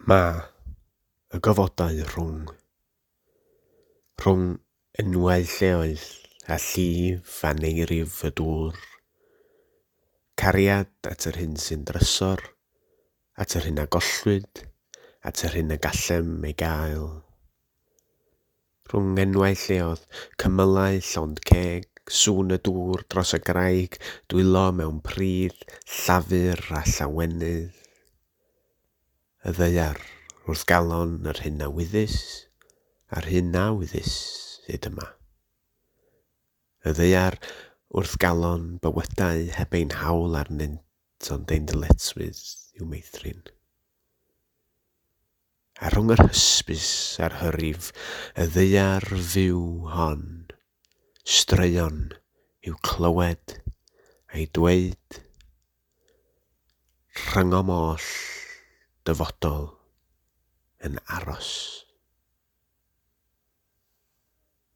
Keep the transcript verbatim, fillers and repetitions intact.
Ma' y gofodau rhwng, rhwng enwau lleoedd a llif aneirif y dŵr, cariad at yr hyn sy'n drysor, at yr hyn a gollwyd, at yr hyn y gallem ei gael. Rhwng enwau lleoedd, cymylau llond ceg, sŵn y dŵr dros y graig, dwylo mewn pridd, llafur a llawenydd. Y ddaear wrth galon yr hyn a wyddys a'r hyn na wyddys hyd yma. Y ddaear wrth galon bywydau heb ein hawl arnynt ond ein dyletswydd i'w meithrin. A rhwng yr hysbys a'r hyrif, y ddaear fyw hon, straeon i'w clywed a'i dweud, rhyngom oll dyfodol yn aros.